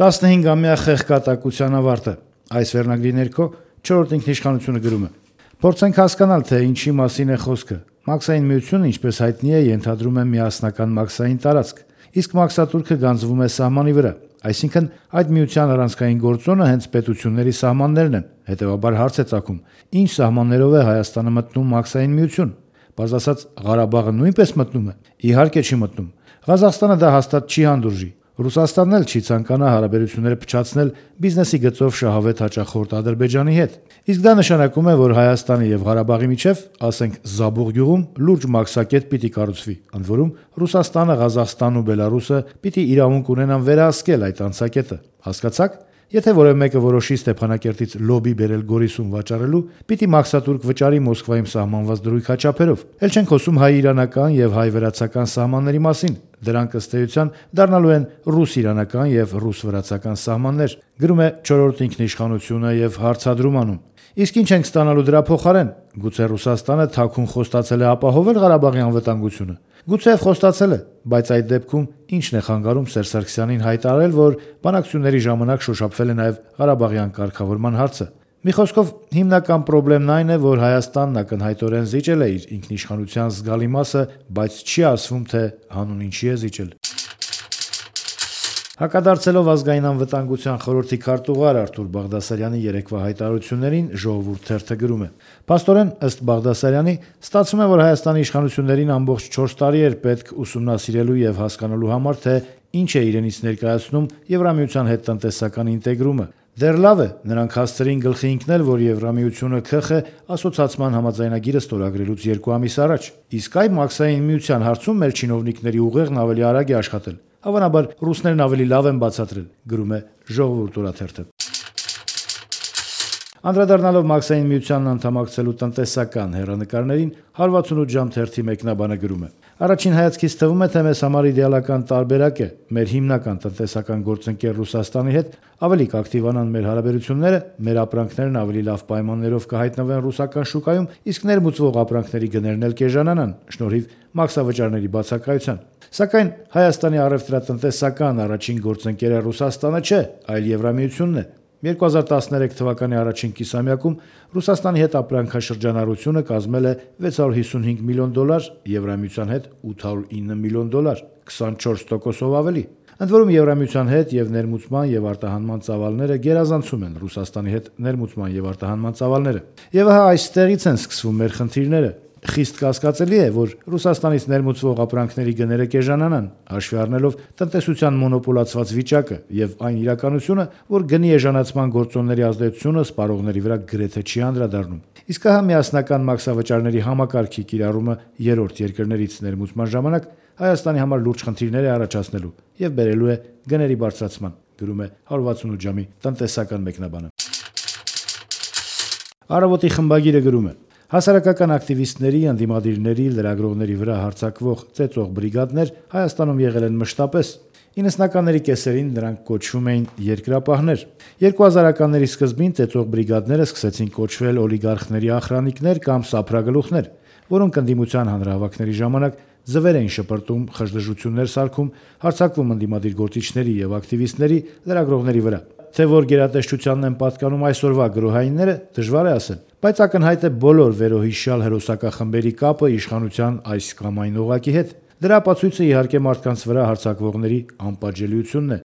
15-ամյա խեղկատակության ավարտը։ Այս վերնագրի ներքո 4-րդ ինքնիշխանությունը գրում է. «Փորձենք հասկանալ, թե ինչի մասին է խոսքը։ Մաքսային միությունը, ինչպես հայտնի է, ենթադրում է միասնական մաքսային տարածք, իսկ մաքսատուրքը գանձվում է սահմանի վրա։ Այսինքն, այդ միության առանցքային գործոնը հենց պետությունների սահմաններն են։ Հետևաբար հարց է ծագում. ինչ սահմաններով է Հայաստանը մտնում մաքսային միություն։ Պարզ ասած, Ղարաբաղը նույնպես մտնում է։ Իհարկե չի մտնում։ Ղազախստանը դա հաստատ չի հանդուրժի։ Ռուսաստանն էլ չի ցանկանա հարաբերությունները փչացնել բիզնեսի գծով շահավետ հաճախորդ Ադրբեջանի հետ։ Իսկ դա նշանակում է, որ Հայաստանի եւ Ղարաբաղի միջև, ասենք Զաբուղ գյուղում, լուրջ մաքսակետ պիտի կառուցվի, ընդ որում Ռուսաստանը, Ղազախստանն ու Բելարուսը պիտի իրավունք ունենան վերահսկել այդ անցակետը։ Հասկացաք։ Եթե որևէ մեկը որոշի Ստեփանակերտից լոբի բերել Գորիսում վաճառելու, պիտի մաքսատուրք վճարի Մոսկվայում սահմանված դրույք հաճափերով։ Էլ չենք խոսում հայ-իրանական եւ հայ-վրացական սահմանների մասին։ Դրանք ըստ էության դառնալու են ռուս-իրանական եւ ռուս-վրացական սահմաններ, գրում է 4-րդ ինքնիշխանությունը եւ հարցադրում անում. իսկ ինչ ենք ստանալու դրա փոխարեն։ Գուցե Ռուսաստանը թաքուն խոստացել է ապահովել Ղարաբաղի անվտանգությունը։ Գուցե խոստացել է, բայց այդ դեպքում ինչն է խանգարում Սերժ Սարգսյանին հայտարարել, որ բանակցությունների ժամանակ շոշափվել է նաեւ Ղարաբաղյան կարգավորման հարցը։ Մի խոսքով, հիմնական խնդիրն այն է, որ Հայաստանն ակնհայտորեն զիջել է իր ինքնիշխանության զգալի մասը, բայց չի ասվում, թե հանուն ինչի է զիջել։ Հակադարձելով ազգային անվտանգության խորհրդի քարտուղար Արթուր Բաղդասարյանի երեկվա հայտարարություններին Ժողովուրդ թերթը գրում է. «Փաստորեն, ըստ Բաղդասարյանի, ստացվում է, որ Հայաստանի իշխանություններին ամբողջ 4 տարի էր պետք ուսումնասիրելու եւ հասկանալու համար, թե ինչ է իրենից ներկայացնում Եվրամիության հետ տնտեսական ինտեգրումը։ Դեռ լավ է, նրանք հասցրին գլխի ընկնել, որ Եվրամիությունը քխ է ասոցացման համաձայնագիրը ստորագրելուց 2 ամիս առաջ։ Իսկ այ մաքսային միության հարցում մեր չինովնիկների ուղեղն ավելի արագ է աշխատել։ Հավանաբար ռուսներն ավելի լավ են բացատրել», գրում է Ժողովուրդ օրաթերթը։ Անդրադառնալով մաքսային միությանն անդամակցելու տնտեսական հեռանկարներին 168 ժամ թերթի մեկնաբանը գրում է. «Առաջին հայացքից թվում է, թե մեզ համար իդեալական տարբերակ է մեր հիմնական տնտեսական գործընկեր Ռուսաստանի հետ ավելի կակտիվանան մեր հարաբերությունները, մեր ապրանքներն ավելի լավ պայմաններով կհայտնվեն ռուսական շուկայում, իսկ ներմուծվող ապրանքների գներն էլ կեժանանան շնորհիվ մաքսավճարների բացակայության։ Սակայն Հայաստանի առևտրատնտեսական առաջին գործընկերը Ռուսաստանը չէ, այլ Եվրամիությունն է։ 2013 թվականի առաջին կիսամյակում Ռուսաստանի հետ ապրանքաշրջանառությունը կազմել է $655 միլիոն, Եվրամիության հետ $809 միլիոն, 24%-ով ավելի։ Ընդ որում Եվրամիության հետ եւ ներմուծման եւ արտահանման ծավալները գերազանցում են Ռուսաստանի հետ ներմուծման եւ արտահանման ծավալները։ Եվ ահա այստեղից են սկսվում մեր խնդիրները։ Խիստ կասկածելի է, որ Ռուսաստանից ներմուծվող ապրանքների գները կեժանանան, հաշվի առնելով տնտեսության մոնոպոլացված վիճակը եւ այն իրականությունը, որ գնի էժանացման գործոնների ազդեցությունը սպառողների վրա գրեթե չի անդրադառնում։ Իսկ ահա միասնական մաքսավճարների համակարգի կիրառումը երրորդ երկրներից ներմուծման ժամանակ Հայաստանի համար լուրջ խնդիրներ է առաջացնելու եւ բերելու է գների բարձրացման, գրում է 168 ժամի տնտեսական մեկնաբանը։ Առավոտի խմբագիրը գրում է. «Հասարակական ակտիվիստների, ընդդիմադիրների, լրագրողների վրա հարձակվող ծեծող բրիգադներ Հայաստանում եղել են մշտապես։ 90-ականների կեսերին նրանք կոչվում էին երկրապահներ։ 2000-ականների սկզբին ծեծող բրիգադները սկսեցին կոչվել օլիգարխների ախրանիկներ կամ սափրագլուխներ, որոնք ընդդիմության հանրահավաքների ժամանակ ձվեր էին շպրտում, խժդժություններ սարքում, հարձակվում ընդդիմադիր գործիչների եւ ակտիվիստների, լրագրողների վրա։ Թե որ գերատեսչությանն են պատկանում այսօրվա գրոհայինները, դժվար է ասել, բայց ակնհայտ է բոլոր վերոհիշյալ հերոսակախմբերի կապը իշխանության այս կամ այն օղակի հետ։ Դրա ապացույցը իհարկե մարդկանց վրա հարձակվողների անպատժելիությունն է,